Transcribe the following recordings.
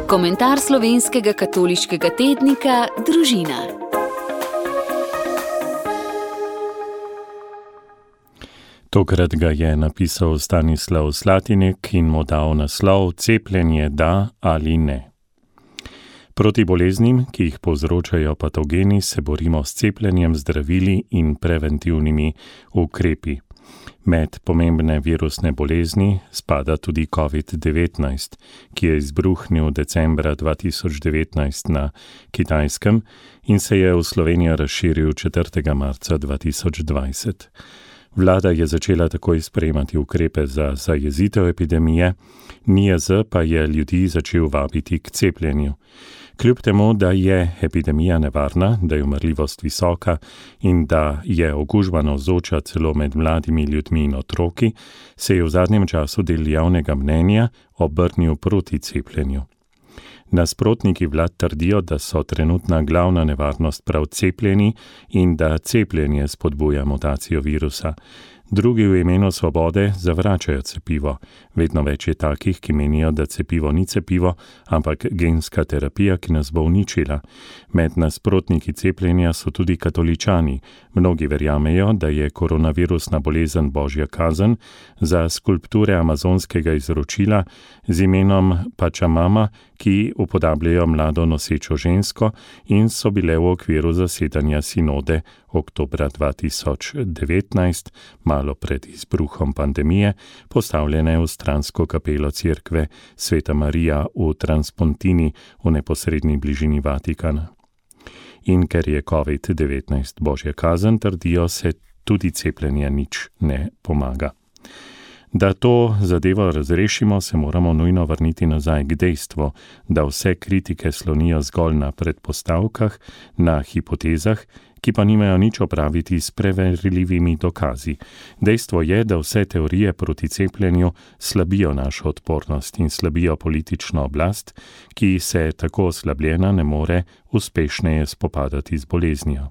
Komentar slovenskega katoliškega tednika Družina. Tokrat ga je napisal Stanislav Slatinek in mu dal naslov Cepljenje da ali ne. Proti boleznim, ki jih povzročajo patogeni, se borimo s cepljenjem, zdravili in preventivnimi ukrepi. Med pomembne virusne bolezni spada tudi COVID-19, ki je izbruhnil decembra 2019 na Kitajskem in se je v Slovenijo razširil 4. marca 2020. Vlada je začela takoj sprejemati ukrepe za zajezitev epidemije, NIJZ pa je ljudi začel vabiti k cepljenju. Kljub temu, da je epidemija nevarna, da je umrljivost visoka in da je okužba navzoča celo med mladimi ljudmi in otroki, se je v zadnjem času del javnega mnenja obrnil proti cepljenju. Nasprotniki vlad trdijo, da so trenutna glavna nevarnost prav cepljeni in da cepljenje spodbuja mutacijo virusa. Drugi v imenu svobode zavračajo cepivo. Vedno več je takih, ki menijo, da cepivo ni cepivo, ampak genska terapija, ki nas bo uničila. Med nasprotniki cepljenja so tudi katoličani. Mnogi verjamejo, da je koronavirusna bolezen božja kazen za skulpture amazonskega izročila z imenom Pačamama, ki upodabljajo mlado nosečo žensko in so bile v okviru zasedanja sinode oktobra 2019, malo pred izbruhom pandemije, postavljene v stransko kapelo cerkve Sveta Marija v Transpontini v neposredni bližini Vatikana. In ker je COVID-19 božja kazen, trdijo se, tudi cepljenje nič ne pomaga. Da to zadevo razrešimo, se moramo nujno vrniti nazaj k dejstvu, da vse kritike slonijo zgolj na predpostavkah, na hipotezah, ki pa nimajo nič opraviti s preverljivimi dokazi. Dejstvo je, da vse teorije proti cepljenju slabijo našo odpornost in slabijo politično oblast, ki se tako oslabljena ne more uspešneje spopadati z boleznijo.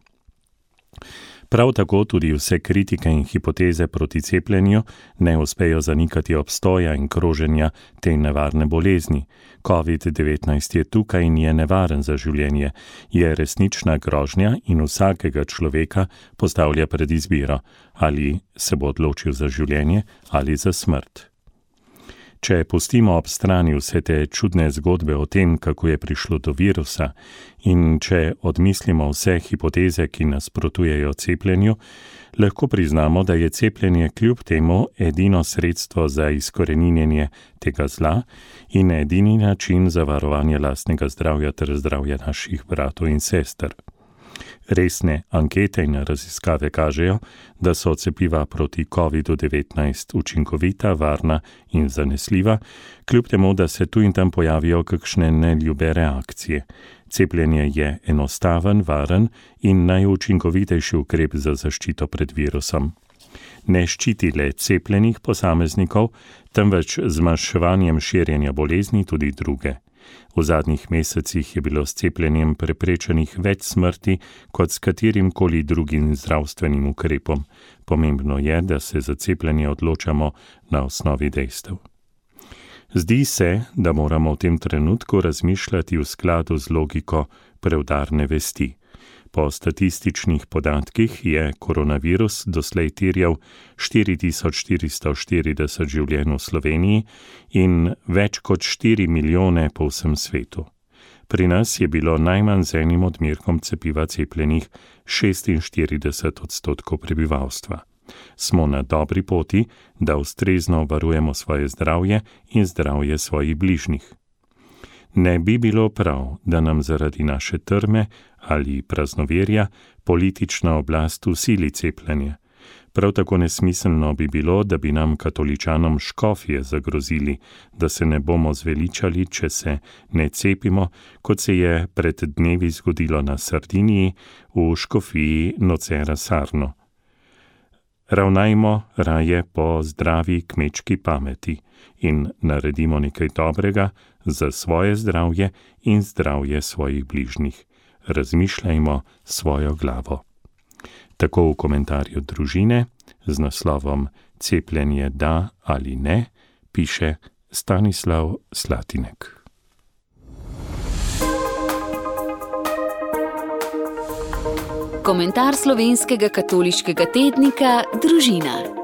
Prav tako tudi vse kritike in hipoteze proti cepljenju ne uspejo zanikati obstoja in kroženja te nevarne bolezni. COVID-19 je tukaj in je nevaren za življenje, je resnična grožnja in vsakega človeka postavlja pred izbiro, ali se bo odločil za življenje ali za smrt. Če pustimo ob strani vse te čudne zgodbe o tem, kako je prišlo do virusa, in če odmislimo vse hipoteze, ki nasprotujejo cepljenju, lahko priznamo, da je cepljenje kljub temu edino sredstvo za izkoreninjenje tega zla in edini način za varovanje lastnega zdravja ter zdravja naših bratov in sester. Resne ankete in raziskave kažejo, da so cepiva proti COVID-19 učinkovita, varna in zanesljiva, kljub temu, da se tu in tam pojavijo kakšne neljube reakcije. Cepljenje je enostaven, varen in najučinkovitejši ukrep za zaščito pred virusom. Ne ščiti le cepljenih posameznikov, temveč z zmanjševanjem širjenja bolezni tudi druge. V zadnjih mesecih je bilo s cepljenjem preprečenih več smrti kot s katerimkoli drugim zdravstvenim ukrepom. Pomembno je, da se za cepljenje odločamo na osnovi dejstev. Zdi se, da moramo v tem trenutku razmišljati v skladu z logiko preudarne vesti. Po statističnih podatkih je koronavirus doslej terjal 4440 življenj v Sloveniji in več kot 4 milijone po vsem svetu. Pri nas je bilo najmanj z enim odmerkom cepiva cepljenih 46% prebivalstva. Smo na dobri poti, da ustrezno varujemo svoje zdravje in zdravje svojih bližnjih. Ne bi bilo prav, da nam zaradi naše trme ali praznoverja politična oblast vsili cepljenje. Prav tako nesmiselno bi bilo, da bi nam katoličanom škofje zagrozili, da se ne bomo zveličali, če se ne cepimo, kot se je pred dnevi zgodilo na Sardiniji v škofiji Nocera Sarno. Ravnajmo raje po zdravi kmečki pameti in naredimo nekaj dobrega za svoje zdravje in zdravje svojih bližnjih. Razmišljajmo svojo glavo. Tako v komentarju Družine z naslovom Cepljenje da ali ne piše Stanislav Slatinek. Komentar slovenskega katoliškega tednika Družina.